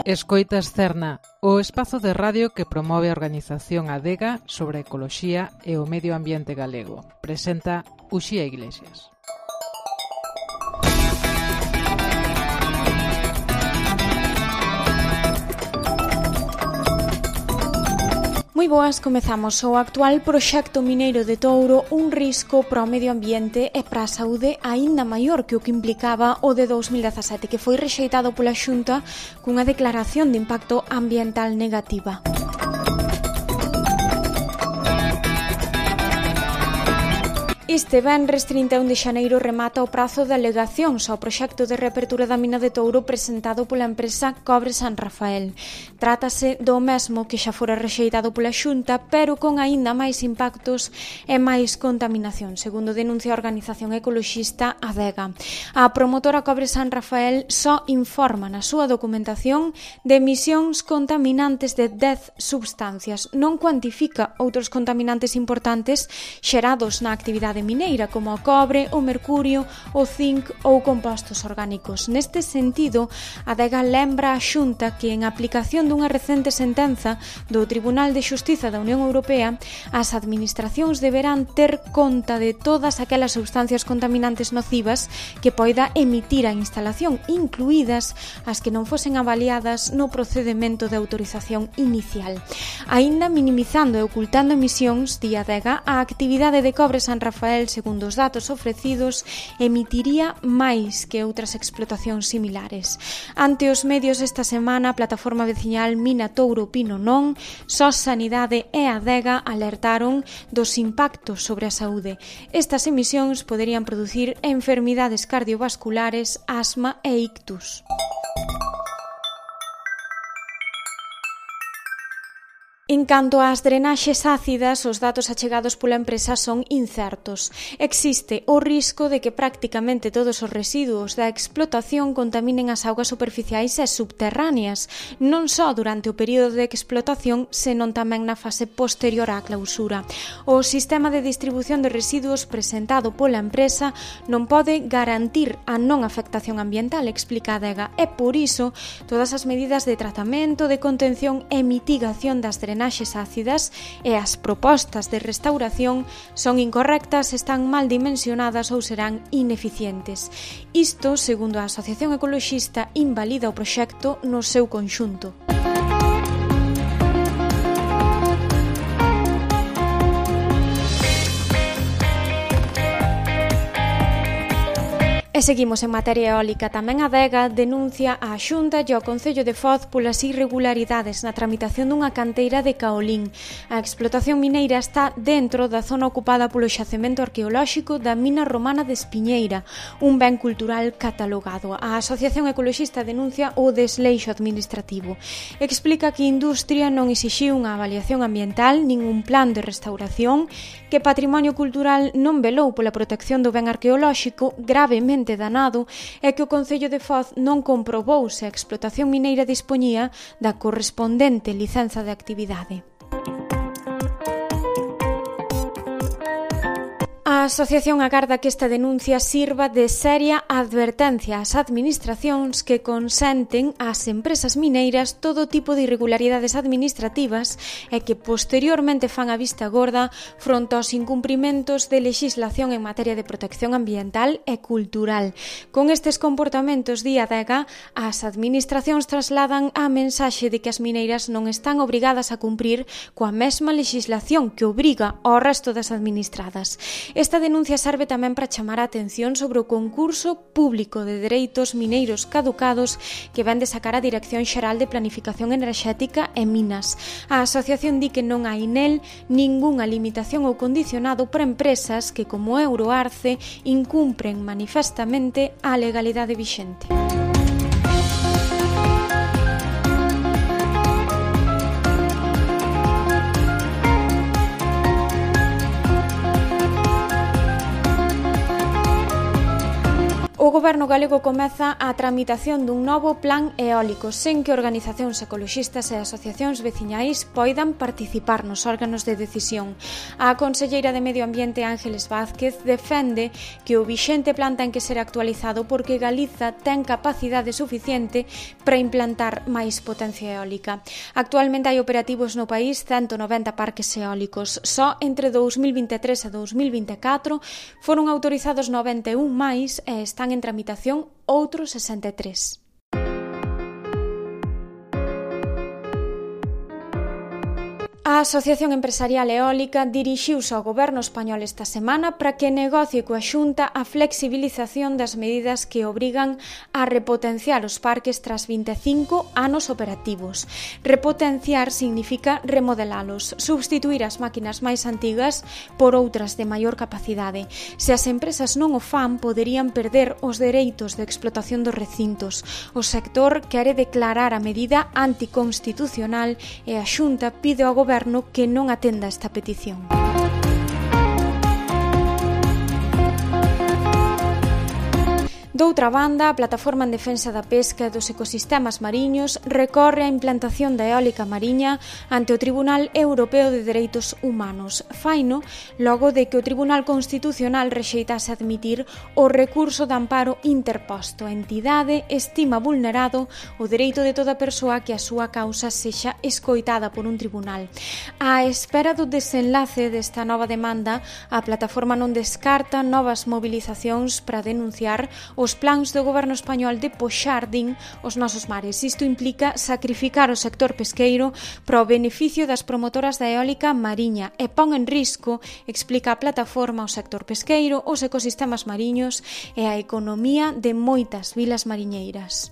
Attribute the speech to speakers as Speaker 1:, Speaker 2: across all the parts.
Speaker 1: Escoitas Cerna, o espazo de radio que promove a organización Adega sobre a ecoloxía e o medio ambiente galego. Presenta Uxía Iglesias.
Speaker 2: Moi boas, comezamos o actual proxecto mineiro de Touro, un risco para o medio ambiente e para a saúde aínda maior que o que implicaba o de 2017, que foi rexeitado pola Xunta cunha declaración de impacto ambiental negativa. Este venres 31 de xaneiro remata o prazo de alegacións ao proxecto de reapertura da mina de Touro presentado pola empresa Cobre San Rafael. Trátase do mesmo que xa fora rexeitado pola Xunta, pero con aínda máis impactos e máis contaminación, segundo denuncia a organización ecoloxista Adega. A promotora Cobre San Rafael só informa na súa documentación de emisións contaminantes de 10 substancias. Non cuantifica outros contaminantes importantes xerados na actividade mineira, como o cobre, o mercurio, o zinc ou compostos orgánicos. Neste sentido, a Adega lembra a Xunta que, en aplicación dunha recente sentenza do Tribunal de Xustiza da Unión Europea, as administracións deberán ter conta de todas aquelas substancias contaminantes nocivas que poida emitir a instalación, incluídas as que non fosen avaliadas no procedemento de autorización inicial. Aínda minimizando e ocultando emisións, di a Adega, a actividade de Cobre San Rafael, segundo os datos ofrecidos, emitiría máis que outras explotacións similares. Ante os medios esta semana, a plataforma veciñal Mina Touro Pino Non, SOS Sanidade e Adega alertaron dos impactos sobre a saúde. Estas emisións poderían producir enfermidades cardiovasculares, asma e ictus. En canto ás drenaxes ácidas, os datos achegados pola empresa son incertos. Existe o risco de que prácticamente todos os residuos da explotación contaminen as augas superficiais e subterráneas, non só durante o período de explotación, senón tamén na fase posterior á clausura. O sistema de distribución de residuos presentado pola empresa non pode garantir a non afectación ambiental, explica a Adega, e por iso todas as medidas de tratamento, de contención e mitigación das drenaxes ácidas e as propostas de restauración son incorrectas, están mal dimensionadas ou serán ineficientes. Isto, segundo a Asociación Ecoloxista, invalida o proxecto no seu conxunto. E seguimos en materia eólica. Tamén a Adega denuncia a Xunta e ao Concello de Foz polas irregularidades na tramitación dunha canteira de caolín. A explotación mineira está dentro da zona ocupada polo xacemento arqueolóxico da mina romana de Espiñeira, un ben cultural catalogado. A Asociación Ecoloxista denuncia o desleixo administrativo. Explica que a industria non exixiu unha avaliación ambiental nin un plan de restauración, que Patrimonio Cultural non velou pola protección do ben arqueolóxico gravemente danado e que o Concello de Foz non comprobou se a explotación mineira dispoñía da correspondente licenza de actividade. A asociación agarda que esta denuncia sirva de seria advertencia ás administracións que consenten ás empresas mineiras todo tipo de irregularidades administrativas e que posteriormente fan a vista gorda fronte aos incumprimentos de legislación en materia de protección ambiental e cultural. Con estes comportamentos, di a Adega, as administracións trasladan a mensaxe de que as mineiras non están obrigadas a cumprir coa mesma legislación que obriga ao resto das administradas. Esta denuncia serve tamén para chamar a atención sobre o concurso público de dereitos mineiros caducados que vén de sacar a Dirección Xeral de Planificación Enerxética e Minas. A asociación di que non hai nel ningunha limitación ou condicionado para empresas que, como Euroarce, incumpren manifestamente a legalidade vixente. O Goberno galego comeza a tramitación dun novo plan eólico sen que organizacións ecoloxistas e asociacións veciñais poidan participar nos órganos de decisión. A conselleira de Medio Ambiente Ángeles Vázquez defende que o vixente plan ten que ser actualizado porque Galiza ten capacidade suficiente para implantar máis potencia eólica. Actualmente hai operativos no país 190 parques eólicos. Só entre 2023 e 2024 foron autorizados 91 máis e están en tramitación outros 63. A Asociación Empresarial Eólica dirixiuse ao Goberno español esta semana para que negocie coa Xunta a flexibilización das medidas que obrigan a repotenciar os parques tras 25 anos operativos. Repotenciar significa remodelalos, substituir as máquinas máis antigas por outras de maior capacidade. Se as empresas non o fan, poderían perder os dereitos de explotación dos recintos. O sector quere declarar a medida anticonstitucional e a Xunta pide ao Goberno que non atenda esta petición. Doutra banda, a Plataforma en Defensa da Pesca e dos Ecosistemas Mariños recorre a implantación da eólica mariña ante o Tribunal Europeo de Dereitos Humanos. Faino logo de que o Tribunal Constitucional rexeitase admitir o recurso de amparo interposto. A entidade estima vulnerado o dereito de toda persoa que a súa causa sexa escoitada por un tribunal. Á espera do desenlace desta nova demanda, a plataforma non descarta novas mobilizacións para denunciar os plans do Goberno español de poxar, din, os nosos mares. Isto implica sacrificar o sector pesqueiro para o beneficio das promotoras da eólica mariña e pon en risco, explica a plataforma, o sector pesqueiro, os ecosistemas mariños e a economía de moitas vilas mariñeiras.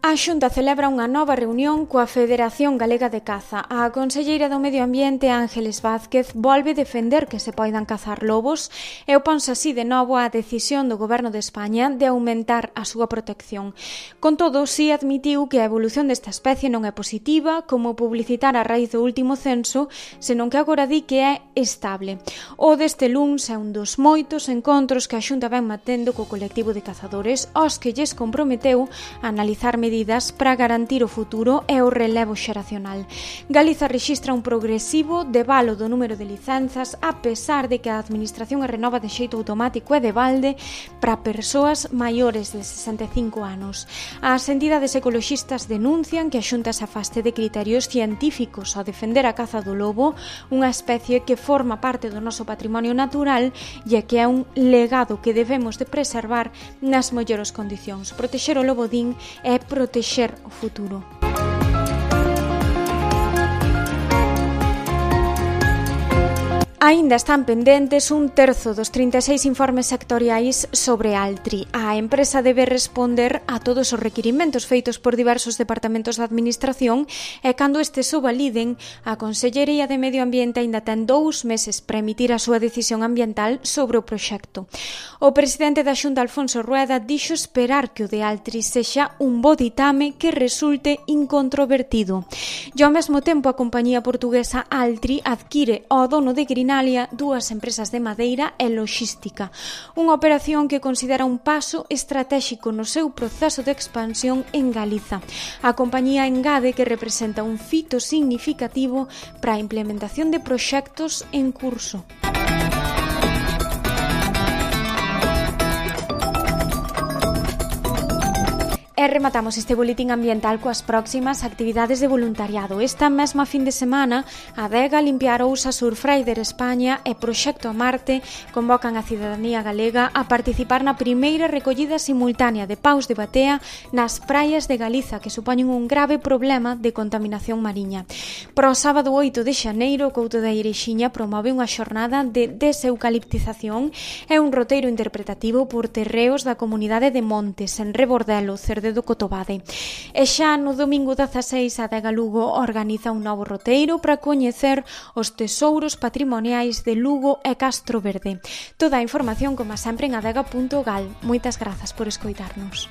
Speaker 2: A Xunta celebra unha nova reunión coa Federación Galega de Caza. A conselleira do Medio Ambiente, Ángeles Vázquez, volve defender que se poidan cazar lobos e oponse así de novo á decisión do Goberno de España de aumentar a súa protección. Con todo, si admitiu que a evolución desta especie non é positiva, como publicitar a raíz do último censo, senón que agora di que é estable. O deste luns é un dos moitos encontros que a Xunta ven mantendo co colectivo de cazadores, aos que lles comprometeu a analizar medidas para garantir o futuro e o relevo xeracional. Galiza rexistra un progresivo devalo do número de licenzas, a pesar de que a administración a renova de xeito automático e de balde para persoas maiores de 65 anos. As entidades ecoloxistas denuncian que a Xunta se afaste de criterios científicos ao defender a caza do lobo, unha especie que forma parte do noso patrimonio natural e que é un legado que debemos de preservar nas mellores condicións. Protexer o lobo, din, é protexer o futuro. Aínda están pendentes un terzo dos 36 informes sectoriais sobre Altri. A empresa debe responder a todos os requirimentos feitos por diversos departamentos da administración e cando estes o validen, a Consellería de Medio Ambiente aínda ten 2 meses para emitir a súa decisión ambiental sobre o proxecto. O presidente da Xunta, Alfonso Rueda, dixo esperar que o de Altri sexa un bo ditame que resulte incontrovertido. E ao mesmo tempo a compañía portuguesa Altri adquire ao dono de Grinalia 2 empresas de madeira e loxística, unha operación que considera un paso estratéxico no seu proceso de expansión en Galiza. A compañía engade que representa un fito significativo para a implementación de proxectos en curso. E rematamos este boletín ambiental coas próximas actividades de voluntariado. Esta mesma fin de semana, a Adega, Limpiar Ousa, Surfrider España e Proxecto a Marte convocan a cidadanía galega a participar na primeira recollida simultánea de paus de batea nas praias de Galiza, que supoñen un grave problema de contaminación mariña. Para o sábado 8 de xaneiro, o Couto da Ireixiña promove unha xornada de deseucaliptización e un roteiro interpretativo por terreos da comunidade de Montes, en Rebordelo, Cerdedo do Cotobade. E xa no domingo 16, a Adega Lugo organiza un novo roteiro para coñecer os tesouros patrimoniais de Lugo e Castro Verde. Toda a información, como sempre, en adega.gal. Moitas grazas por escoitarnos.